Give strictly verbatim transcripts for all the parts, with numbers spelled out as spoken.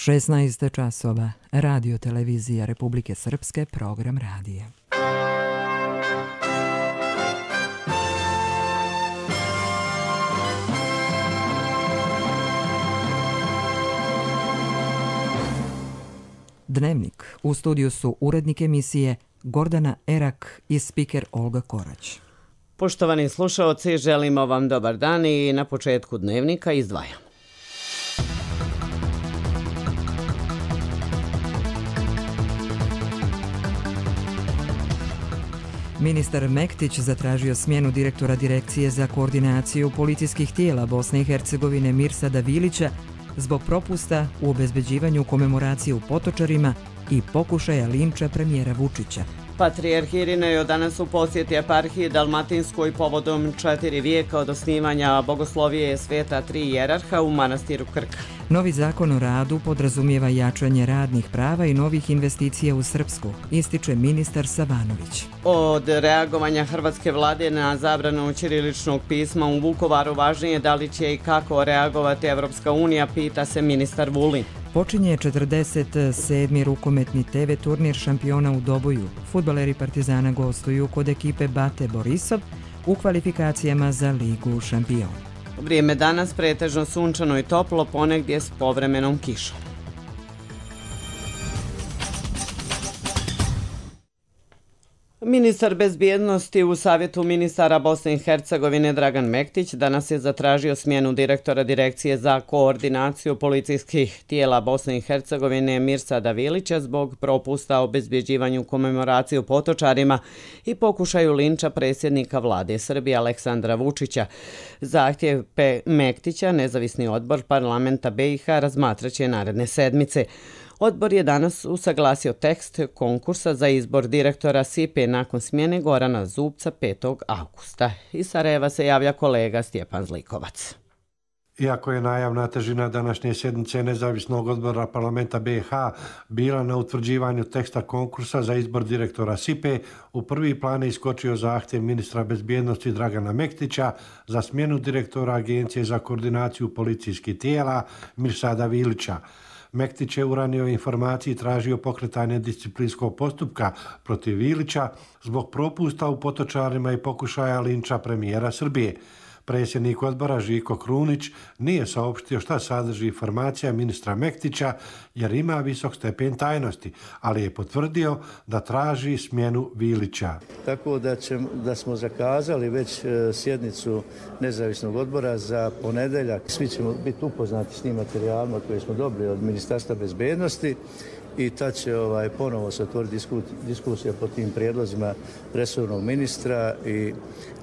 šesnaest časova, Radio Televizija Republike Srpske, program radija. Dnevnik. U studiju su urednik emisije Gordana Erak i spiker Olga Korać. Poštovani slušaoci, želimo vam dobar dan i na početku dnevnika izdvajam. Ministar Mektić zatražio smjenu direktora Direkcije za koordinaciju policijskih tijela Bosne i Hercegovine Mirsada Vilića zbog propusta u obezbeđivanju komemoracije u Potočarima i pokušaja linča premijera Vučića. Patrijarh Irinej danas u posjeti eparhiji Dalmatinskoj povodom četiri vijeka od osnivanja bogoslovije sveta tri jerarha u manastiru Krka. Novi zakon o radu podrazumijeva jačanje radnih prava i novih investicija u Srpsku, ističe ministar Savanović. Od reagovanja hrvatske vlade na zabranu ćiriličnog pisma u Vukovaru važnije da li će i kako reagovati Evropska unija, pita se ministar Vulin. Počinje četrdeset sedmi rukometni te ve turnir šampiona u Doboju. Fudbaleri Partizana gostuju kod ekipe Bate Borisov u kvalifikacijama za Ligu šampiona. Vrijeme danas pretežno sunčano i toplo, ponegdje s povremenom kišom. Ministar bezbjednosti u Savjetu ministara Bosne i Hercegovine Dragan Mektić danas je zatražio smjenu direktora Direkcije za koordinaciju policijskih tijela Bosne i Hercegovine Mirsada Vilića zbog propusta o obezbeđivanju komemoracije u Potočarima i pokušaju linča predsjednika vlade Srbije Aleksandra Vučića. Zahtjev Mektića nezavisni odbor parlamenta be i ha razmatraće naredne sedmice. Odbor je danas usaglasio tekst konkursa za izbor direktora S I P E nakon smjene Gorana Zubca petog avgusta. Iz Sarajeva se javlja kolega Stjepan Zlikovac. Iako je najavna težina današnje sjednice nezavisnog odbora parlamenta be i ha bila na utvrđivanju teksta konkursa za izbor direktora S I P E, u prvi plan je iskočio zahtjev ministra bezbjednosti Dragana Mektića za smjenu direktora Agencije za koordinaciju policijskih tijela Mirsada Vilića. Mektić je u ranijoj informaciji tražio pokretanje disciplinskog postupka protiv Vilića zbog propusta u Potočarima i pokušaja linča premijera Srbije. Predsjednik odbora Žiko Krunić nije saopštio šta sadrži informacija ministra Mektića jer ima visok stepen tajnosti, ali je potvrdio da traži smjenu Vilića. Tako da, ćemo, da smo zakazali već sjednicu nezavisnog odbora za ponedeljak. Svi ćemo biti upoznati s tim materijalima koje smo dobili od Ministarstva bezbjednosti i tad će ovaj, ponovo se otvoriti diskusija po tim prijedlozima resornog ministra i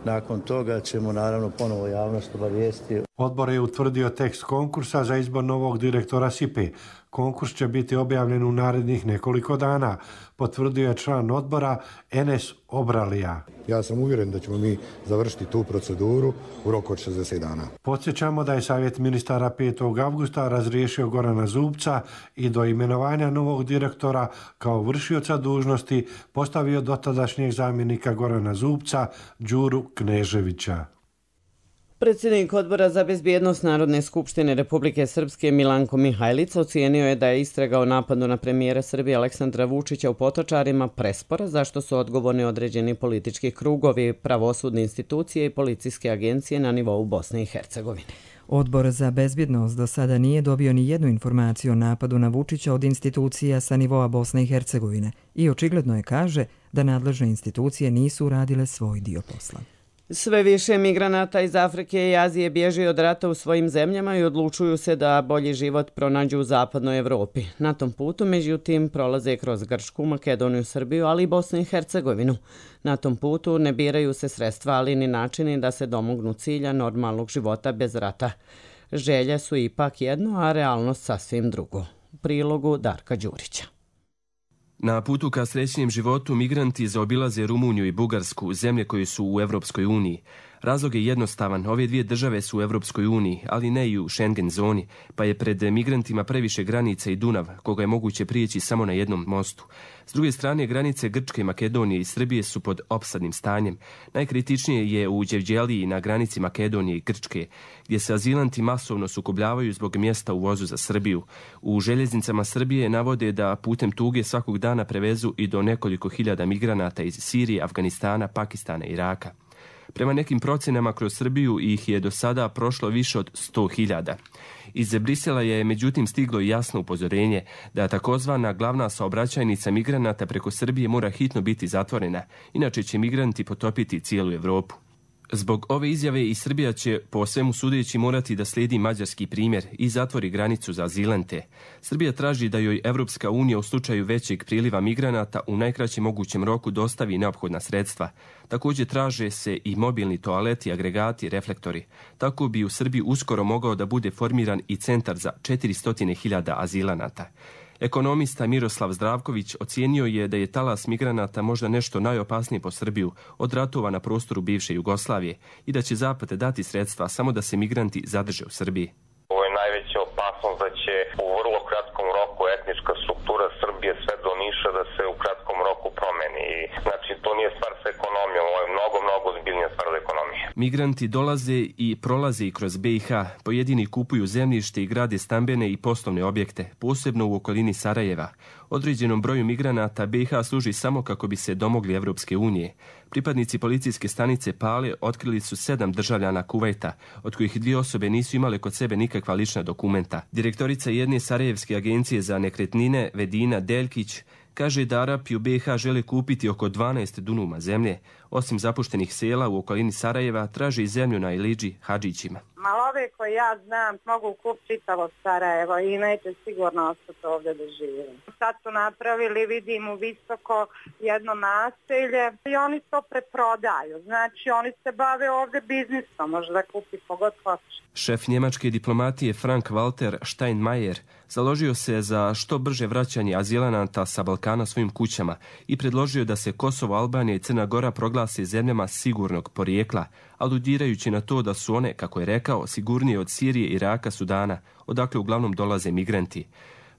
nakon toga ćemo naravno ponovo javnost obavijestiti. Odbor je utvrdio tekst konkursa za izbor novog direktora S I P E. Konkurs će biti objavljen u narednih nekoliko dana, potvrdio je član odbora Enes Obralija. Ja sam uvjeren da ćemo mi završiti tu proceduru u roku od šezdeset dana. Podsjećamo da je Savjet ministara petog avgusta razriješio Gorana Zubca i do imenovanja novog direktora kao vršioca dužnosti postavio dotadašnjeg zamjenika Gorana Zubca, Đuru Kneževića. Predsjednik Odbora za bezbjednost Narodne skupštine Republike Srpske Milanko Mihajlić ocijenio je da je istraga o napadu na premijera Srbije Aleksandra Vučića u Potočarima prespora, zašto su odgovorni određeni politički krugovi, pravosudne institucije i policijske agencije na nivou Bosne i Hercegovine. Odbor za bezbjednost do sada nije dobio ni jednu informaciju o napadu na Vučića od institucija sa nivoa Bosne i Hercegovine i očigledno je kaže da nadležne institucije nisu uradile svoj dio posla. Sve više migranata iz Afrike i Azije bježi od rata u svojim zemljama i odlučuju se da bolji život pronađu u zapadnoj Evropi. Na tom putu, međutim, prolaze kroz Grčku, Makedoniju, Srbiju, ali i Bosnu i Hercegovinu. Na tom putu ne biraju se sredstva, ali ni načini da se domognu cilja normalnog života bez rata. Želje su ipak jedno, a realnost sasvim drugo. U prilogu Darka Đurića. Na putu ka srećnijem životu migranti zaobilaze Rumuniju i Bugarsku, zemlje koje su u Evropskoj uniji. Razlog je jednostavan. Ove dvije države su u Evropskoj uniji, ali ne i u Schengen zoni, pa je pred migrantima previše granica i Dunav, koga je moguće prijeći samo na jednom mostu. S druge strane, granice Grčke, Makedonije i Srbije su pod opsadnim stanjem. Najkritičnije je u Đevđeliji na granici Makedonije i Grčke, gdje se azilanti masovno sukobljavaju zbog mjesta u vozu za Srbiju. U željeznicama Srbije navode da putem tuge svakog dana prevezu i do nekoliko hiljada migranata iz Sirije, Afganistana, Pakistana i Iraka. Prema nekim procjenama kroz Srbiju ih je do sada prošlo više od sto hiljada. Iz Brisela je međutim stiglo jasno upozorenje da takozvana glavna saobraćajnica migranata preko Srbije mora hitno biti zatvorena, inače će migranti potopiti cijelu Europu. Zbog ove izjave i Srbija će po svemu sudeći morati da slijedi mađarski primjer i zatvori granicu za azilante. Srbija traži da joj Evropska unija u slučaju većeg priliva migranata u najkraćem mogućem roku dostavi neophodna sredstva. Također traže se i mobilni toaleti, agregati, reflektori. Tako bi u Srbiji uskoro mogao da bude formiran i centar za četiristo hiljada azilanata. Ekonomista Miroslav Zdravković ocijenio je da je talas migranata možda nešto najopasnije po Srbiju od ratova na prostoru bivše Jugoslavije i da će Zapad dati sredstva samo da se migranti zadrže u Srbiji. Ovo je najveća opasnost da će u vrlo kratkom roku etnička struktura Srbije sve do Niša da se u kratkom roku promeni. Znači, to nije stvar sa ekonomijom, ovo je mnogo, mnogo ozbiljnija stvar za ekonomije. Migranti dolaze i prolaze i kroz B i H. Pojedini kupuju zemljište i grade stambene i poslovne objekte, posebno u okolini Sarajeva. Određenom broju migranata B i H služi samo kako bi se domogli Evropske unije. Pripadnici policijske stanice Pale otkrili su sedam državljana Kuvajta, od kojih dvije osobe nisu imale kod sebe nikakva lična dokumenta. Direktorica jedne sarajevske agencije za nekretnine, Vedina Deljkić, kaže da Arapi u B i H žele kupiti oko dvanaest dunuma zemlje. Osim zapuštenih sela u okolini Sarajeva, traže i zemlju na Iliđi Hadžićima. Malove koje ja znam mogu kupiti čitavo Sarajevo i neće sigurno ostati ovdje da živim. Sad su napravili, vidim, u Visoko jedno naselje i oni to preprodaju. Znači oni se bave ovdje biznisom, može da kupi kogod hoće. Šef njemačke diplomatije Frank Walter Steinmeier založio se za što brže vraćanje azilanata sa Balkana svojim kućama i predložio da se Kosovo, Albanija i Crna Gora proglase zemljama sigurnog porijekla, aludirajući na to da su one, kako je rekao, sigurnije od Sirije, Iraka, Sudana, odakle uglavnom dolaze migranti.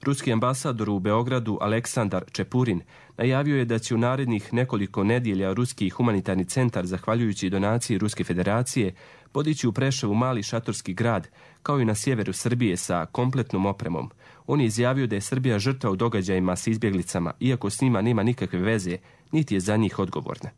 Ruski ambasador u Beogradu Aleksandar Čepurin najavio je da će u narednih nekoliko nedjelja Ruski humanitarni centar, zahvaljujući donaciji Ruske federacije, podići u Preševu mali šatorski grad, kao i na sjeveru Srbije sa kompletnom opremom. On je izjavio da je Srbija žrtva u događajima s izbjeglicama, iako s njima nema nikakve veze, niti je za njih odgovorna.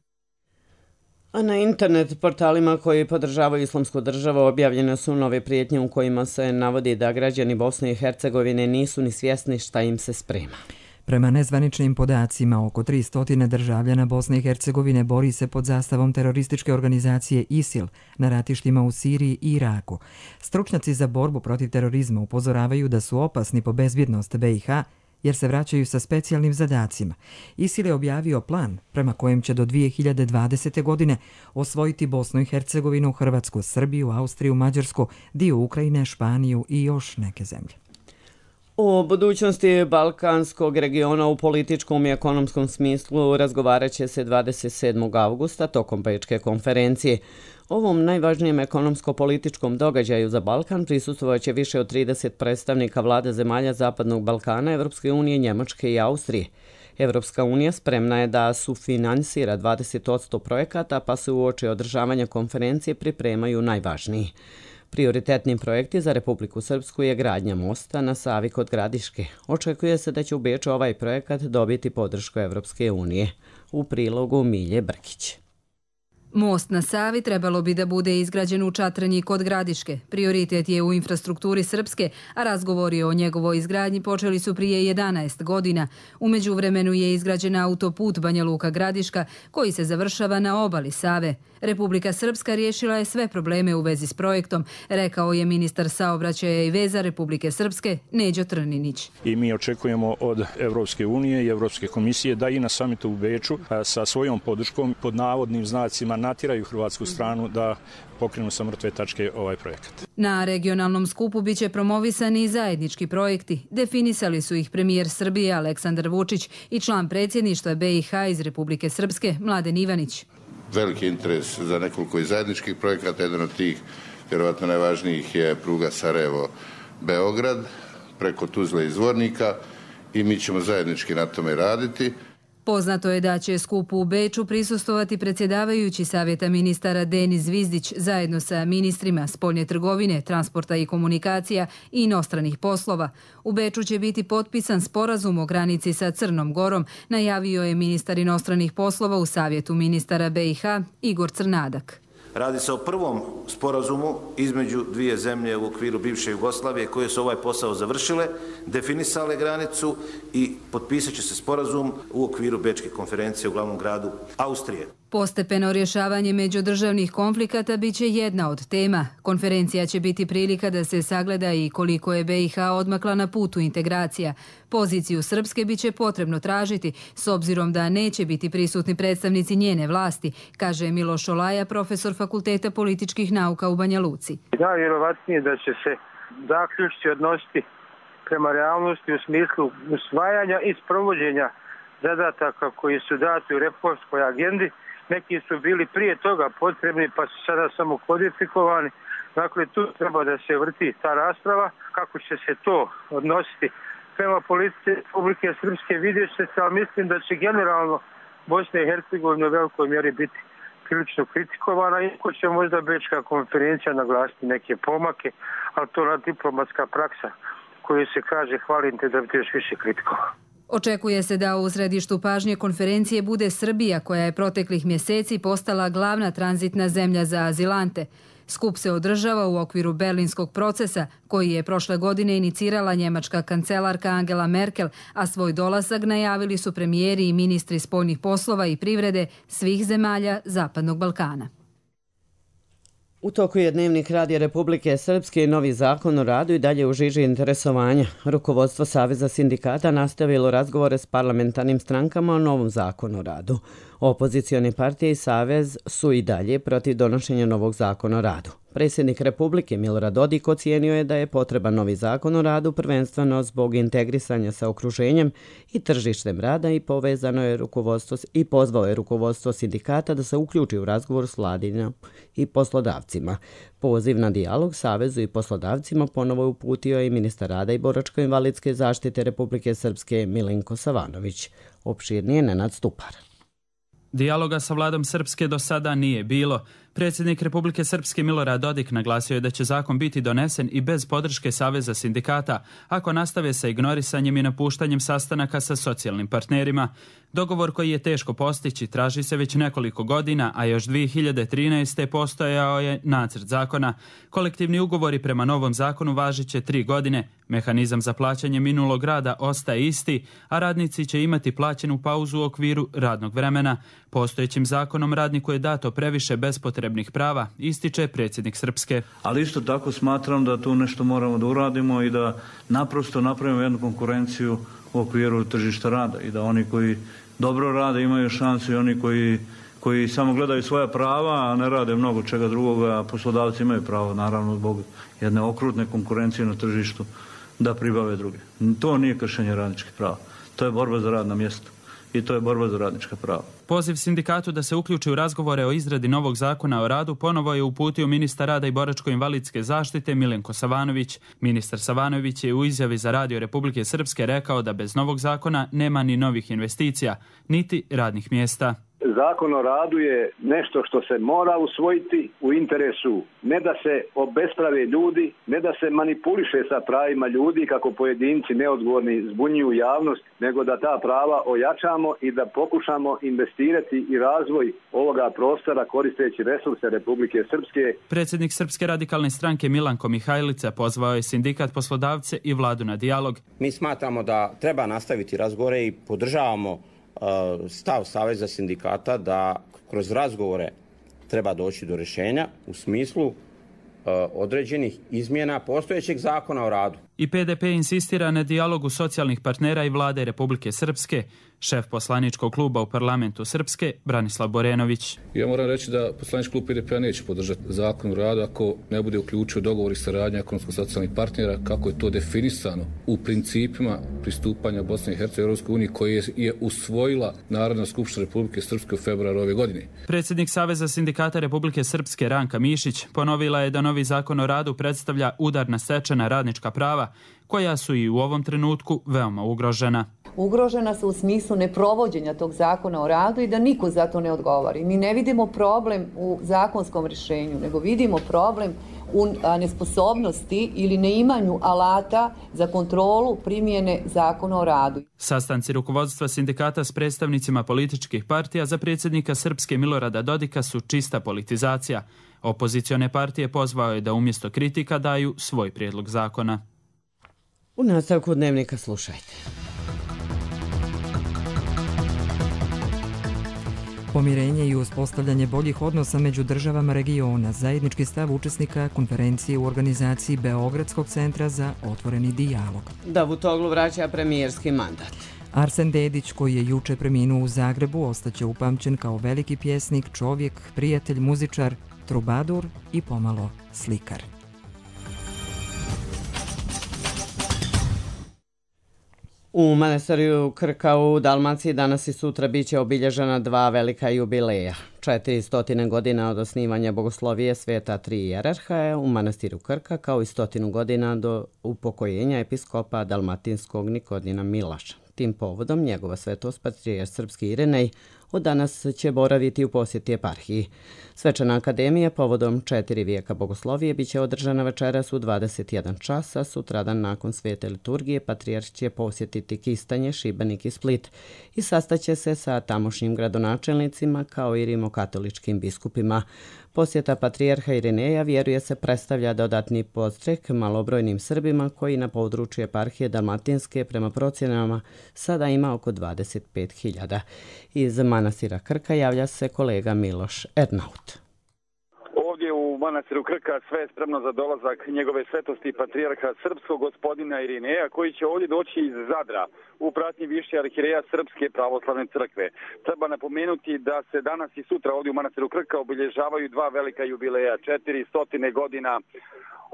A na internet portalima koji podržavaju Islamsku državu objavljene su nove prijetnje u kojima se navodi da građani Bosne i Hercegovine nisu ni svjesni šta im se sprema. Prema nezvaničnim podacima, oko tristo državljana Bosne i Hercegovine bori se pod zastavom terorističke organizacije ISIL na ratištima u Siriji i Iraku. Stručnjaci za borbu protiv terorizma upozoravaju da su opasni po bezbjednost B i H jer se vraćaju sa specijalnim zadacima. ISIL je objavio plan prema kojem će do dvije hiljade dvadesete. godine osvojiti Bosnu i Hercegovinu, Hrvatsku, Srbiju, Austriju, Mađarsku, dio Ukrajine, Španiju i još neke zemlje. O budućnosti balkanskog regiona u političkom i ekonomskom smislu razgovarat će se dvadeset sedmog avgusta tokom Bečke konferencije. Ovom najvažnijem ekonomsko-političkom događaju za Balkan prisustvovat će više od trideset predstavnika vlada zemalja Zapadnog Balkana, Evropske unije, Njemačke i Austrije. Evropska unija spremna je da sufinansira dvadeset posto projekata, pa se uoči održavanja konferencije pripremaju najvažniji. Prioritetni projekti za Republiku Srpsku je gradnja mosta na Savi kod Gradiške. Očekuje se da će u Beču ovaj projekat dobiti podršku Evropske unije. U prilogu Milje Brkić. Most na Savi trebalo bi da bude izgrađen u Čatranji kod Gradiške. Prioritet je u infrastrukturi Srpske, a razgovori o njegovoj izgradnji počeli su prije jedanaest godina. U međuvremenu je izgrađen autoput Banja Luka Gradiška, koji se završava na obali Save. Republika Srpska riješila je sve probleme u vezi s projektom, rekao je ministar saobraćaja i veza Republike Srpske Neđo Trninić. I mi očekujemo od Evropske unije i Evropske komisije da i na samitu u Beču sa svojom podrškom pod navodnim znacima natiraju hrvatsku stranu da pokrenu sa mrtve tačke ovaj projekat. Na regionalnom skupu biće promovisani i zajednički projekti. Definisali su ih premijer Srbije Aleksandar Vučić i član predsjedništva B i H iz Republike Srpske Mladen Ivanić. veliki interes za nekoliko i zajedničkih projekata. Jedan od tih, vjerovatno najvažnijih, je pruga Sarajevo-Beograd preko Tuzle i Zvornika i mi ćemo zajednički na tome raditi. Poznato je da će skupu u Beču prisustovati predsjedavajući Savjeta ministara Denis Zvizdić zajedno sa ministrima spoljne trgovine, transporta i komunikacija i inostranih poslova. U Beču će biti potpisan sporazum o granici sa Crnom Gorom, najavio je ministar inostranih poslova u Savjetu ministara B i H Igor Crnadak. Radi se o prvom sporazumu između dvije zemlje u okviru bivše Jugoslavije koje su ovaj posao završile, definisale granicu i potpisat će se sporazum u okviru Bečke konferencije u glavnom gradu Austrije. Postepeno rješavanje međudržavnih konflikata bit će jedna od tema. Konferencija će biti prilika da se sagleda i koliko je B i H odmakla na putu integracija. Poziciju Srpske bit će potrebno tražiti, s obzirom da neće biti prisutni predstavnici njene vlasti, kaže Miloš Olaja, profesor Fakulteta političkih nauka u Banja Luci. Najvjerovatnije da će se zaključci odnositi prema realnosti u smislu usvajanja i sprovođenja zadataka koji su dati u reformskoj agendi. Neki su bili prije toga potrebni pa su sada samo kodifikovani. Dakle, tu treba da se vrti ta rasprava. Kako će se to odnositi prema politici Republike Srpske vidjet će se, ali mislim da će generalno Bosna i Hercegovina u velikoj mjeri biti prilično kritikovana, iako će možda Bečka konferencija naglasiti neke pomake, ali to je diplomatska praksa koju se kaže hvalim te da bi još više kritikovao. Očekuje se da u središtu pažnje konferencije bude Srbija, koja je proteklih mjeseci postala glavna tranzitna zemlja za azilante. Skup se održava u okviru berlinskog procesa, koji je prošle godine inicirala njemačka kancelarka Angela Merkel, a svoj dolazak najavili su premijeri i ministri spoljnih poslova i privrede svih zemalja Zapadnog Balkana. U toku je Dnevnik Radija Republike Srpske i novi zakon o radu i dalje u žiži interesovanja. Rukovodstvo Saveza sindikata nastavilo razgovore s parlamentarnim strankama o novom zakonu o radu. Opozicioni partije i Savez su i dalje protiv donošenja novog zakona o radu. Predsjednik Republike Milorad Dodik ocijenio je da je potreban novi zakon o radu prvenstveno zbog integrisanja sa okruženjem i tržištem rada i povezano je rukovodstvo i pozvao je rukovodstvo sindikata da se uključi u razgovor s vladinom i poslodavcima. Poziv na dijalog Savezu i poslodavcima ponovo je uputio i ministar rada i boračko-invalidske zaštite Republike Srpske Milenko Savanović. Opširnije Nenad Stupar. Dijaloga sa vladom Srpske do sada nije bilo. Predsjednik Republike Srpske Milorad Dodik naglasio je da će zakon biti donesen i bez podrške Saveza sindikata, ako nastave sa ignorisanjem i napuštanjem sastanaka sa socijalnim partnerima. Dogovor koji je teško postići traži se već nekoliko godina, a još dvije hiljade trinaeste. postojao je nacrt zakona. Kolektivni ugovori prema novom zakonu važit će tri godine. Mehanizam za plaćanje minulog rada ostaje isti, a radnici će imati plaćenu pauzu u okviru radnog vremena. Postojećim zakonom radniku je dato previše bespotrebnih prava, ističe predsjednik Srpske. Ali isto tako smatram da tu nešto moramo da uradimo i da naprosto napravimo jednu konkurenciju u okviru tržišta rada i da oni koji dobro rade imaju šansu i oni koji, koji samo gledaju svoja prava, a ne rade mnogo čega drugoga, a poslodavci imaju pravo, naravno zbog jedne okrutne konkurencije na tržištu, da pribave druge. To nije kršenje radničkih prava. To je borba za radna mjesta i to je borba za radnička prava. Poziv sindikatu da se uključi u razgovore o izradi novog zakona o radu ponovo je uputio ministar rada i boračko-invalidske zaštite Milenko Savanović. Ministar Savanović je u izjavi za Radio Republike Srpske rekao da bez novog zakona nema ni novih investicija, niti radnih mjesta. Zakon o radu je nešto što se mora usvojiti u interesu ne da se obesprave ljudi, ne da se manipuliše sa pravima ljudi kako pojedinci neodgovorni zbunjuju javnost, nego da ta prava ojačamo i da pokušamo investirati i razvoj ovoga prostora koristeći resurse Republike Srpske. Predsjednik Srpske radikalne stranke Milanko Mihajlica pozvao je sindikat, poslodavce i vladu na dijalog. Mi smatramo da treba nastaviti razgovore i podržavamo stav Saveza sindikata da kroz razgovore treba doći do rješenja u smislu određenih izmjena postojećeg zakona o radu. I P D P insistira na dijalogu socijalnih partnera i vlade Republike Srpske. Šef poslaničkog kluba u parlamentu Srpske, Branislav Borenović. Ja moram reći da poslanički klub P D P-a neće podržati zakon o radu ako ne bude uključio dogovor i saradnja ekonomsko-socijalnih partnera kako je to definisano u principima pristupanja Bosne i Hercegovine Europskoj uniji koje je usvojila Narodna skupština Republike Srpske u februaru ove godine. Predsjednik Saveza sindikata Republike Srpske Ranka Mišić ponovila je da novi zakon o radu predstavlja udar na stečena radnička prava koja su i u ovom trenutku veoma ugrožena. Ugrožena su u smislu neprovođenja tog zakona o radu i da niko za to ne odgovori. Mi ne vidimo problem u zakonskom rješenju, nego vidimo problem u nesposobnosti ili neimanju alata za kontrolu primjene zakona o radu. Sastanci rukovodstva sindikata s predstavnicima političkih partija za predsjednika Srpske Milorada Dodika su čista politizacija. Opozicione partije pozvao je da umjesto kritika daju svoj prijedlog zakona. U nastavku dnevnika slušajte. Pomirenje i uspostavljanje boljih odnosa među državama regiona, zajednički stav učesnika konferencije u organizaciji Beogradskog centra za otvoreni dijalog. Davutoglu vraća premijerski mandat. Arsen Dedić, koji je juče preminuo u Zagrebu, ostaće upamćen kao veliki pjesnik, čovjek, prijatelj, muzičar, trubadur i pomalo slikar. U manastiru Krka u Dalmaciji danas i sutra biće obilježena dva velika jubileja. četiristo godina od osnivanja bogoslovije sveta tri hijerarha u manastiru Krka, kao i stotinu godina do upokojenja episkopa dalmatinskog Nikodima Milaša. Tim povodom njegova svetost patrijarh srpski Irinej od danas će boraviti u posjeti eparhiji. Svečana akademija povodom četiri vijeka bogoslovije biće održana večeras u dvadeset jedan časa. Sutradan nakon svete liturgije patrijarh će posjetiti Kistanje, Šibenik i Split i sastaće se sa tamošnjim gradonačelnicima kao i rimokatoličkim biskupima. Posjeta patrijarha Irineja, vjeruje se, predstavlja dodatni podstrek malobrojnim Srbima koji na području eparhije Dalmatinske prema procjenama sada ima oko dvadeset pet hiljada. Iz manastira Krka javlja se kolega Miloš Ernaut. Ovdje u manastiru Krka sve je spremno za dolazak njegove svetosti patrijarha srpskog gospodina Irineja, koji će ovdje doći iz Zadra u pratnji više arhijereja Srpske pravoslavne crkve. Treba napomenuti da se danas i sutra ovdje u manastiru Krka obilježavaju dva velika jubileja, četiri stotine godina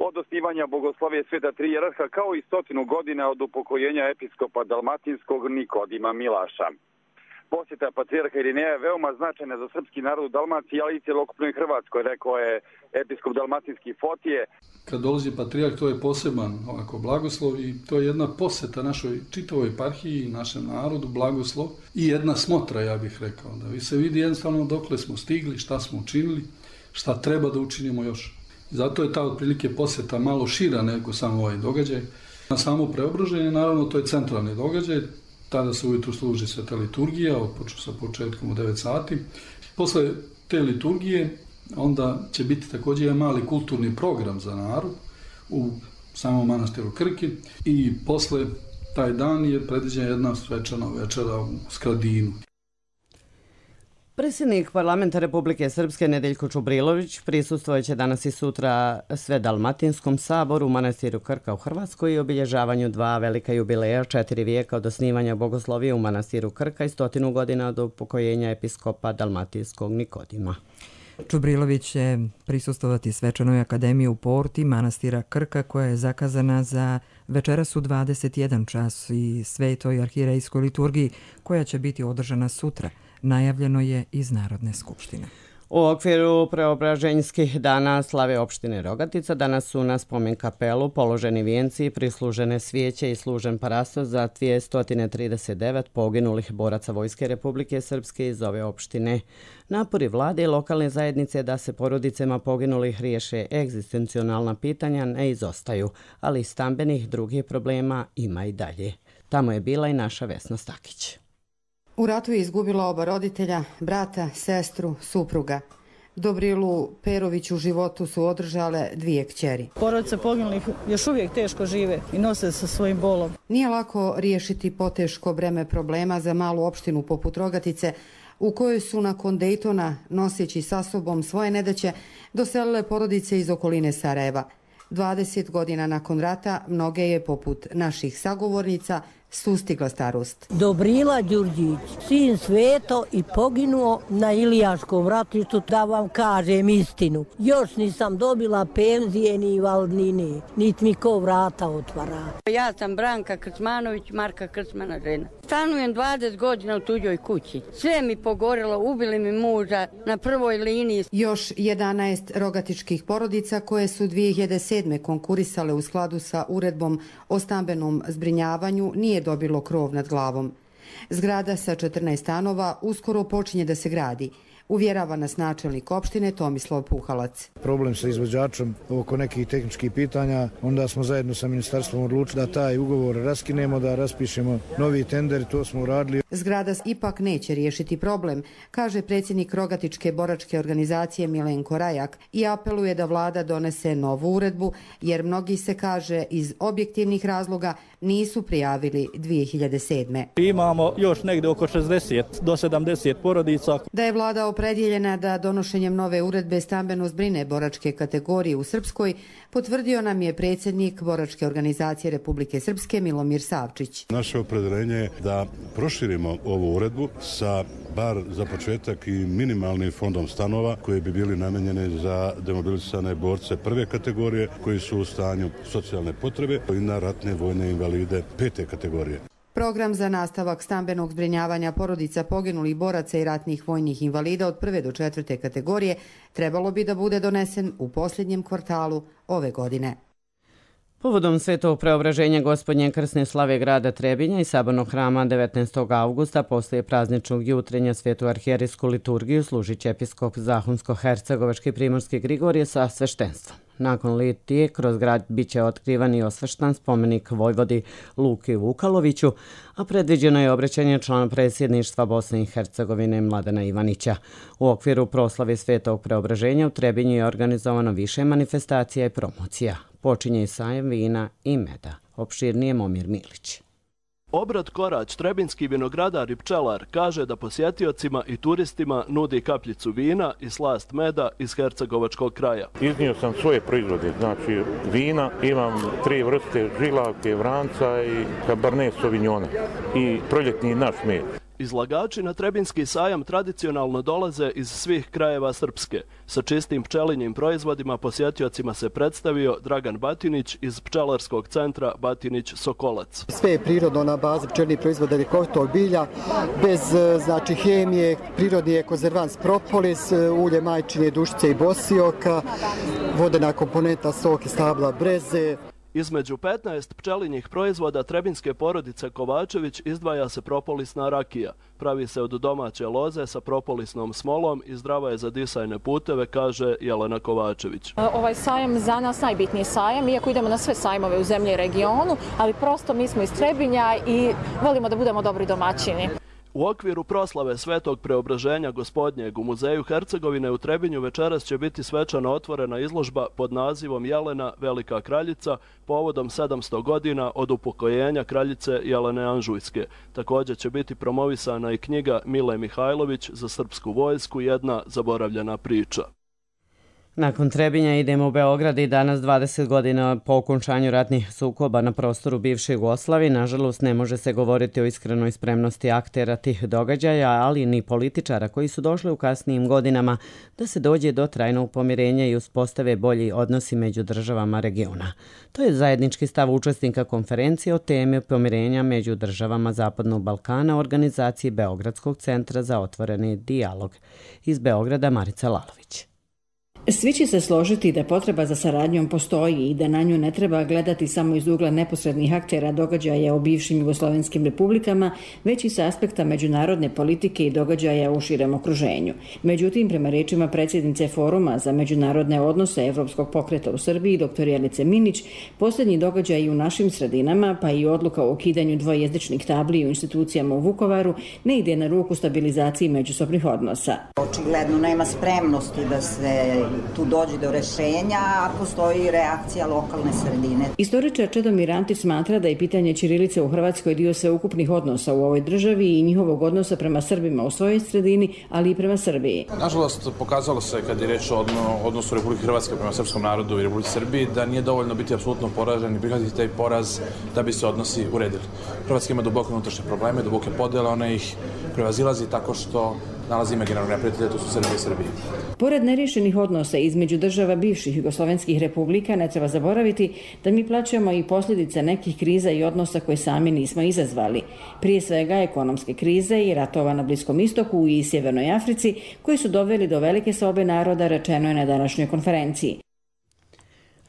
od osnivanja bogoslovije sveta tri hijerarha, kao i stotinu godina od upokojenja episkopa dalmatinskog Nikodima Milaša. Posjeta patrijarha Irineja je veoma značajna za srpski narod u Dalmaciji, ali i cjelokupnoj Hrvatskoj, rekao je episkop dalmatinski Fotije. Kad dolazi patrijarh, to je poseban ovako blagoslov i to je jedna posjeta našoj čitavoj eparhiji, našem narodu, blagoslov i jedna smotra, ja bih rekao, da vi se vidi jednostavno dokle smo stigli, šta smo učinili, šta treba da učinimo još. Zato je ta otprilike posjeta malo šira nego samo ovaj događaj. Na samo preobraženje, naravno, to je centralni događaj. Tada se ujutru služi sveta liturgija, otpoču sa početkom u devet sati. Posle te liturgije onda će biti također jedan mali kulturni program za narod u samom manastiru Krki i posle taj dan je predviđena jedna svečana večera u Skradinu. Predsjednik parlamenta Republike Srpske Nedeljko Čubrilović prisustvojeće danas i sutra Svedalmatinskom saboru u manastiru Krka u Hrvatskoj i obilježavanju dva velika jubileja, četiri vijeka od osnivanja bogoslovije u manastiru Krka i stotinu godina od upokojenja episkopa dalmatinskog Nikodima. Čubrilović će prisustovati svečanoj akademiji u porti manastira Krka koja je zakazana za večeras u dvadeset jedan čas i svetoj arhirejskoj liturgiji koja će biti održana sutra. Najavljeno je iz Narodne skupštine. U okviru preobraženjskih dana slave opštine Rogatica danas su na spomen kapelu položeni vijenci, prislužene svijeće i služen parastos za dvjesto trideset devet poginulih boraca Vojske Republike Srpske iz ove opštine. Napori vlade i lokalne zajednice da se porodicama poginulih riješe egzistencionalna pitanja ne izostaju, ali stambenih drugih problema ima i dalje. Tamo je bila i naša Vesna Stakić. U ratu je izgubila oba roditelja, brata, sestru, supruga. Dobrilu Perović u životu su održale dvije kćeri. Porodice poginulih još uvijek teško žive i nose sa svojim bolom. Nije lako riješiti poteško breme problema za malu opštinu poput Rogatice, u kojoj su nakon Dejtona, noseći sa sobom svoje nedaće, doselile porodice iz okoline Sarajeva. dvadeset godina nakon rata mnoge je, poput naših sagovornica, sustigla starost. Dobrila Đurđić, sin Sveto i poginuo na Ilijaškom ratištu, da vam kažem istinu. Još nisam dobila penzije ni invalidnine, niti mi ko vrata otvara. Ja sam Branka Krcmanović, Marka Krcmana žena. Stanujem dvadeset godina u tuđoj kući. Sve mi pogorelo, ubili mi muža na prvoj liniji. Još jedanaest rogatičkih porodica koje su dvije hiljade sedme konkurisale u skladu sa uredbom o stambenom zbrinjavanju nije dobilo krov nad glavom. Zgrada sa četrnaest stanova uskoro počinje da se gradi. Uvjerava nas načelnik opštine Tomislav Puhalac. Problem sa izvođačom oko nekih tehničkih pitanja, onda smo zajedno sa ministarstvom odlučili da taj ugovor raskinemo, da raspišemo novi tender, to smo uradili. Zgrada ipak neće riješiti problem, kaže predsjednik Rogatičke boračke organizacije Milenko Rajak i apeluje da vlada donese novu uredbu, jer mnogi se, kaže, iz objektivnih razloga nisu prijavili dvije hiljade sedme. Imamo još negdje oko šezdeset do sedamdeset porodica. Da je vlada opredjeljena da donošenjem nove uredbe stambeno zbrine boračke kategorije u Srpskoj, potvrdio nam je predsjednik Boračke organizacije Republike Srpske Milomir Savčić. Naše opredjeljenje je da proširimo ovu uredbu sa bar za početak i minimalnim fondom stanova koji bi bili namenjeni za demobilisane borce prve kategorije koji su u stanju socijalne potrebe i na ratne vojne invalide pete kategorije. Program za nastavak stambenog zbrinjavanja porodica poginulih boraca i ratnih vojnih invalida od prve do četvrte kategorije trebalo bi da bude donesen u posljednjem kvartalu ove godine. Povodom svetog preobraženja Gospodnje krsne slave grada Trebinja i sabornog hrama devetnaestog avgusta poslije prazničnog jutrenja svetu arhijerijsku liturgiju služit će episkop Zahumsko-hercegovački primorski Grigorije sa sveštenstvom. Nakon litije kroz grad biće otkrivan i osveštan spomenik Vojvodi Luki Vukaloviću, a predviđeno je obraćanje člana predsjedništva Bosne i Hercegovine Mladena Ivanića. U okviru proslave svetog preobraženja u Trebinju je organizovano više manifestacija i promocija. Počinje i sajem vina i meda. Opširnije Momir Milić. Obrat Korać, trebinski vinogradar i pčelar, kaže da posjetiocima i turistima nudi kapljicu vina i slast meda iz hercegovačkog kraja. Iznio sam svoje proizvode, znači vina, imam tri vrste žilavke, vranca i Cabernet Sauvignona i proljetni naš med. Izlagači na Trebinski sajam tradicionalno dolaze iz svih krajeva Srpske. Sa čistim pčelinjim proizvodima posjetiocima se predstavio Dragan Batinić iz pčelarskog centra Batinić Sokolac. Sve je prirodno na bazi pčelnih proizvoda ljekovitog bilja, bez znači hemije, prirodni je konzervans propolis, ulje majčine, dušice i bosioka, vodena komponenta sok i stabla breze. Između petnaest pčelinjih proizvoda trebinske porodice Kovačević izdvaja se propolisna rakija. Pravi se od domaće loze sa propolisnom smolom i zdrava je za disajne puteve, kaže Jelena Kovačević. Ovaj sajam za nas najbitniji sajam, iako idemo na sve sajmove u zemlji i regionu, ali prosto mi smo iz Trebinja i volimo da budemo dobri domaćini. U okviru proslave svetog preobraženja Gospodnjeg u Muzeju Hercegovine u Trebinju večeras će biti svečano otvorena izložba pod nazivom Jelena Velika kraljica povodom sedamsto godina od upokojenja kraljice Jelene Anžujske. Također će biti promovisana i knjiga Mile Mihajlović za srpsku vojsku, jedna zaboravljena priča. Nakon Trebinja idemo u Beograd i danas dvadeset godina po okončanju ratnih sukoba na prostoru bivše Jugoslavije. Nažalost, ne može se govoriti o iskrenoj spremnosti aktera tih događaja, ali ni političara koji su došli u kasnijim godinama da se dođe do trajnog pomirenja i uspostave bolji odnosi među državama regiona. To je zajednički stav učesnika konferencije o temi pomirenja među državama Zapadnog Balkana u organizaciji Beogradskog centra za otvoreni dijalog. Iz Beograda Marica Lalović. Svi će se složiti da potreba za saradnjom postoji i da na nju ne treba gledati samo iz ugla neposrednih aktera događaja u bivšim jugoslovenskim republikama, već i sa aspekta međunarodne politike i događaja u širem okruženju. Međutim, prema rečima predsjednice Foruma za međunarodne odnose Evropskog pokreta u Srbiji, dr Jelice Minić, posljednji događaji u našim sredinama, pa i odluka o ukidanju dvojezičnih tabli u institucijama u Vukovaru, ne ide na ruku stabilizaciji međusobnih odnosa. Očigledno nema spremnosti da se tu dođe do rešenja, a postoji reakcija lokalne sredine. Istoričar Čedomir Antić smatra da je pitanje ćirilice u Hrvatskoj dio sveukupnih odnosa u ovoj državi i njihovog odnosa prema Srbima u svojoj sredini, ali i prema Srbiji. Nažalost, pokazalo se kad je reč o odnosu Republike Hrvatske prema srpskom narodu i Republike Srbiji da nije dovoljno biti apsolutno poražen i prihvatiti taj poraz da bi se odnosi uredili. Hrvatska ima duboke unutrašnje probleme, duboke podjele, ona ih prevazilazi tako što nalazi imaginarnog neprijatelja, to su Srbije i Srbije. Pored neriješenih odnosa između država bivših jugoslovenskih republika, ne treba zaboraviti da mi plaćamo i posljedice nekih kriza i odnosa koje sami nismo izazvali. Prije svega ekonomske krize i ratova na Bliskom istoku i Sjevernoj Africi, koji su doveli do velike sobe naroda, rečeno je na današnjoj konferenciji.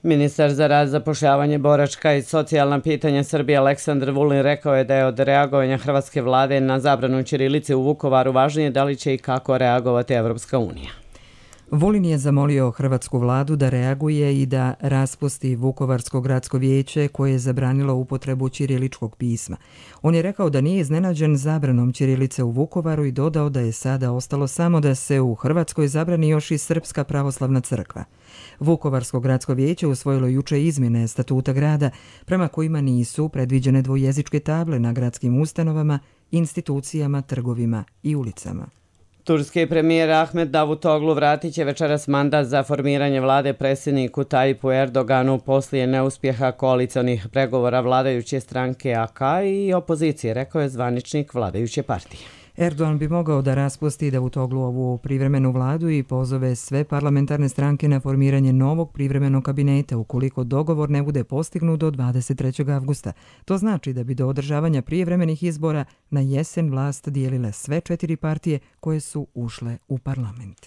Ministar za rad, zapošljavanje, boračka i socijalna pitanja Srbije Aleksandar Vulin rekao je da je od reagovanja hrvatske vlade na zabranu ćirilice u Vukovaru važnije da li će i kako reagovati Evropska unija. Vulin je zamolio hrvatsku vladu da reaguje i da raspusti Vukovarsko gradsko vijeće koje je zabranilo upotrebu ćiriličkog pisma. On je rekao da nije iznenađen zabranom ćirilice u Vukovaru i dodao da je sada ostalo samo da se u Hrvatskoj zabrani još i Srpska pravoslavna crkva. Vukovarsko gradsko vijeće usvojilo juče izmjene statuta grada prema kojima nisu predviđene dvojezičke table na gradskim ustanovama, institucijama, trgovima i ulicama. Turski premijer Ahmet Davutoglu vratit će večeras mandat za formiranje vlade predsjedniku Tayyip Erdoganu poslije neuspjeha koalicionih pregovora vladajuće stranke A K i opozicije, rekao je zvaničnik vladajuće partije. Erdogan bi mogao da raspusti Davutogluovu privremenu vladu i pozove sve parlamentarne stranke na formiranje novog privremenog kabineta ukoliko dogovor ne bude postignut do dvadeset trećeg avgusta. To znači da bi do održavanja prijevremenih izbora na jesen vlast dijelile sve četiri partije koje su ušle u parlament.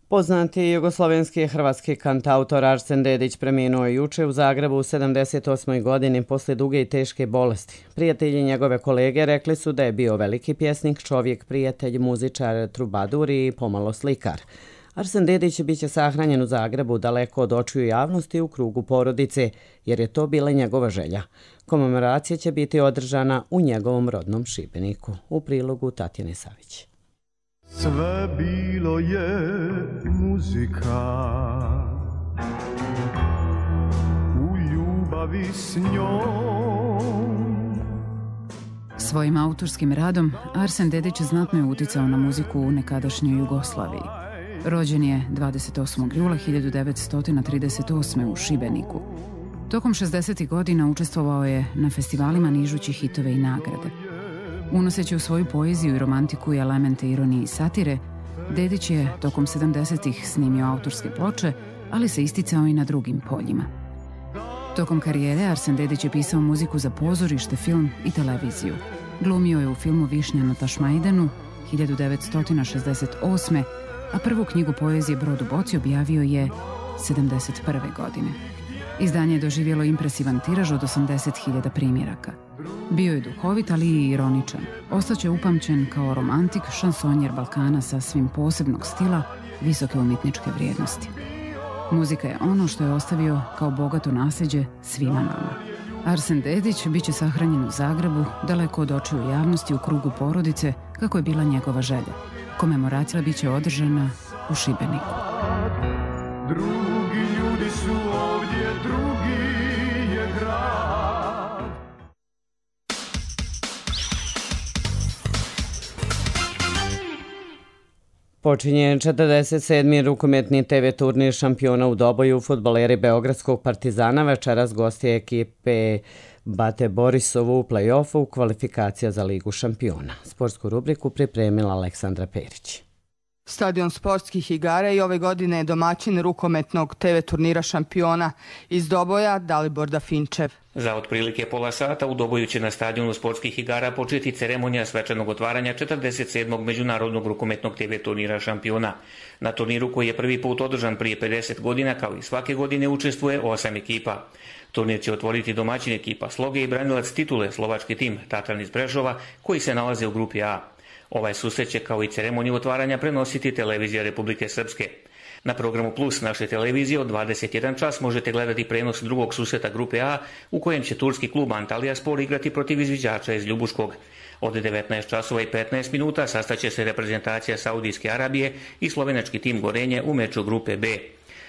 Poznati jugoslovenski i hrvatski kantautor Arsen Dedić preminuo je juče u Zagrebu u sedamdeset osmoj godini poslije duge i teške bolesti. Prijatelji njegove kolege rekli su da je bio veliki pjesnik, čovjek, prijatelj, muzičar, trubadur i pomalo slikar. Arsen Dedić biće sahranjen u Zagrebu daleko od očiju javnosti u krugu porodice, jer je to bila njegova želja. Komemoracija će biti održana u njegovom rodnom Šibeniku. U prilogu Tatjane Savić. Sve bilo je muzika u ljubavi s njom. Svojim autorskim radom Arsen Dedić znatno je uticao na muziku u nekadašnjoj Jugoslaviji. Rođen je dvadeset osmog jula hiljadu devetsto trideset osme u Šibeniku. Tokom šezdesetih godina učestvovao je na festivalima nižući hitove i nagrade. Unoseći u svoju poeziju i romantiku i elemente ironije i satire, Dedić je tokom sedamdesetih snimio autorske ploče, ali se isticao i na drugim poljima. Tokom karijere Arsen Dedić je pisao muziku za pozorište, film i televiziju. Glumio je u filmu Višnja na Tašmajdanu hiljadu devetsto šezdeset osme, a prvu knjigu poezije Brod u boci objavio je sedamdeset prve godine. Izdanje je doživjelo impresivan tiraž od osamdeset hiljada primjeraka. Bio je duhovit, ali i ironičan. Ostaće upamćen kao romantik, šansonjer Balkana sasvim posebnog stila, visoke umjetničke vrijednosti. Muzika je ono što je ostavio kao bogato nasljeđe svima nama. Arsen Dedić bit će sahranjen u Zagrebu, daleko od očiju javnosti u krugu porodice, kako je bila njegova želja. Komemoracija bit će održana u Šibeniku. Drugi ljudi su ovdje, drugi je grad. Počinje četrdeset sedmi rukometni te ve turnir šampiona u Doboju. Fudbaleri Beogradskog Partizana večeras gosti ekipe Bate Borisovu u play-offu kvalifikacija za Ligu šampiona. Sportsku rubriku pripremila Aleksandra Perić. Stadion sportskih igara i ove godine je domaćin rukometnog te ve turnira šampiona iz Doboja Dalibor Dafinčev. Za otprilike pola sata u Doboju će na stadionu sportskih igara početi ceremonija svečanog otvaranja četrdeset sedmog međunarodnog rukometnog te ve turnira šampiona. Na turniru koji je prvi put održan prije pedeset godina, kao i svake godine, učestvuje osam ekipa. Turnir će otvoriti domaćin ekipa Sloge i branilac titule slovački tim Tatran iz Prešova, koji se nalaze u grupi A. Ovaj susret će kao i ceremoniju otvaranja prenositi televizija Republike Srpske. Na programu Plus naše televizije od dvadeset jedan čas možete gledati prenos drugog susreta grupe A u kojem će turski klub Antalyaspor igrati protiv izviđača iz Ljubuškog. Od devetnaest časova i petnaest minuta sastaće se reprezentacija Saudijske Arabije i slovenački tim Gorenje u meču grupe B.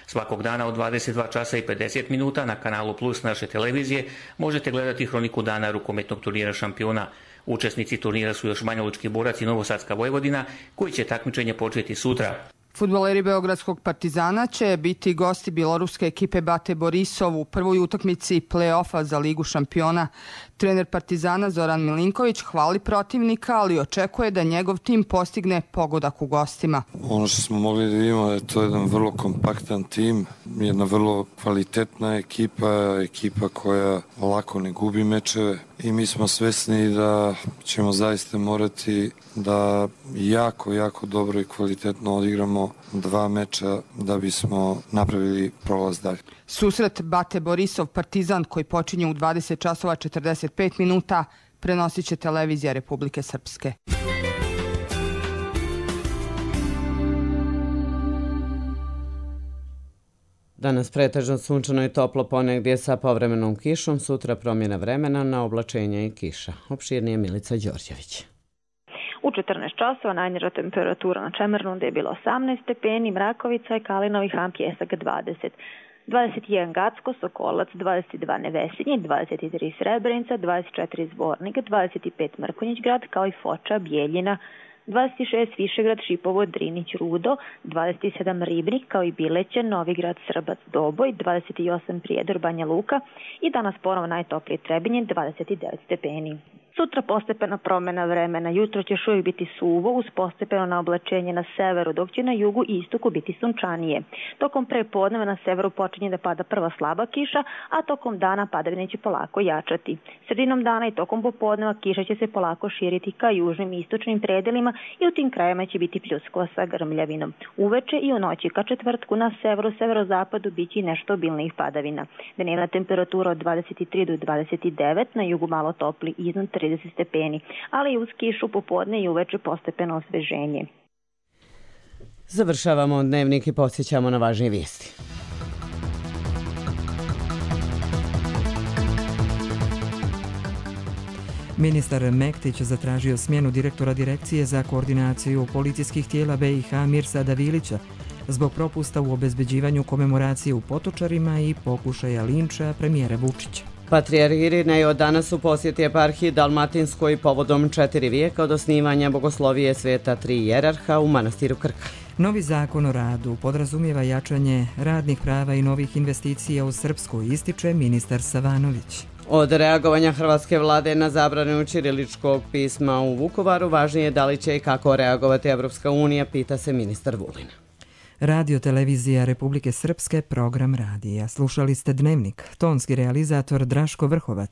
Svakog dana od dvadeset dva časa i pedeset minuta na kanalu Plus naše televizije možete gledati hroniku dana rukometnog turnira šampiona. Učesnici turnira su još Banjalučki Borac i Novosadska Vojvodina, koji će takmičenje početi sutra. Fudbaleri Beogradskog Partizana će biti gosti bjeloruske ekipe Bate Borisov u prvoj utakmici play-offa za Ligu šampiona. Trener Partizana Zoran Milinković hvali protivnika, ali očekuje da njegov tim postigne pogodak u gostima. Ono što smo mogli da vidimo je to jedan vrlo kompaktan tim, jedna vrlo kvalitetna ekipa, ekipa koja lako ne gubi mečeve i mi smo svesni da ćemo zaista morati da jako, jako dobro i kvalitetno odigramo dva meča da bismo napravili prolaz dalje. Susret Bate Borisov Partizan koji počinje u dvadeset časova četrdeset pet minuta prenosit će televizija Republike Srpske. Danas pretežno sunčano i toplo, ponegdje sa povremenom kišom, sutra promjena vremena na oblačenje i kiša. Opširnije Milica Đorđević. U četrnaest časova najniža temperatura na Čemernude je bila osamnaest stepeni, Mrakovica i Kalinovi Han Pjesak dvadeset. dvadeset jedan Gacko, Sokolac, dvadeset dva Nevesinje, dvadeset tri Srebrenica, dvadeset četiri Zvornik, dvadeset pet Mrkonjić grad, kao i Foča, Bijeljina, dvadeset šest Višegrad, Šipovo, Drinić, Rudo, dvadeset sedam Ribnik, kao i Bileće, Novigrad, Srbac, Doboj, dvadeset osam Prijedor, Banja Luka i danas ponovo najtoplije Trebinje, dvadeset devet stepeni. Sutra postepena promjena vremena. Jutro će još uvijek biti suvo uz postepeno naoblačenje na severu, dok će na jugu i istoku biti sunčanije. Tokom prepodneva na severu počinje da pada prva slaba kiša, a tokom dana padavine će polako jačati. Sredinom dana i tokom popodneva kiša će se polako širiti ka južnim i istočnim predelima i u tim krajima će biti pljuskova sa grmljavinom. Uveče i u noći ka četvrtku na severu, severozapadu biće i nešto obilnijih padavina. Dnevna temperatura od dvadeset tri do dvadeset devet, na jugu malo topli iznad trideset stepeni, ali i uz kišu popodne i uveče postepeno osveženje. Završavamo dnevnik i podsjećamo na važnije vijesti. Ministar Mektić zatražio smjenu direktora Direkcije za koordinaciju policijskih tijela B i H Mirsada Vilića zbog propusta u obezbeđivanju komemoracije u Potočarima i pokušaja linča premijera Vučića. Patrijarh Irinej od danas u posjeti eparhiji Dalmatinskoj povodom četiri vijeka od osnivanja bogoslovije sveta tri jerarha u manastiru Krka. Novi zakon o radu podrazumijeva jačanje radnih prava i novih investicija u Srpsku, ističe ministar Savanović. Od reagovanja hrvatske vlade na zabranu ćiriličkog pisma u Vukovaru važnije je da li će i kako reagovati Evropska unija, pita se ministar Vulin. Radio televizija Republike Srpske, program radija. Slušali ste Dnevnik, tonski realizator Draško Vrhovac.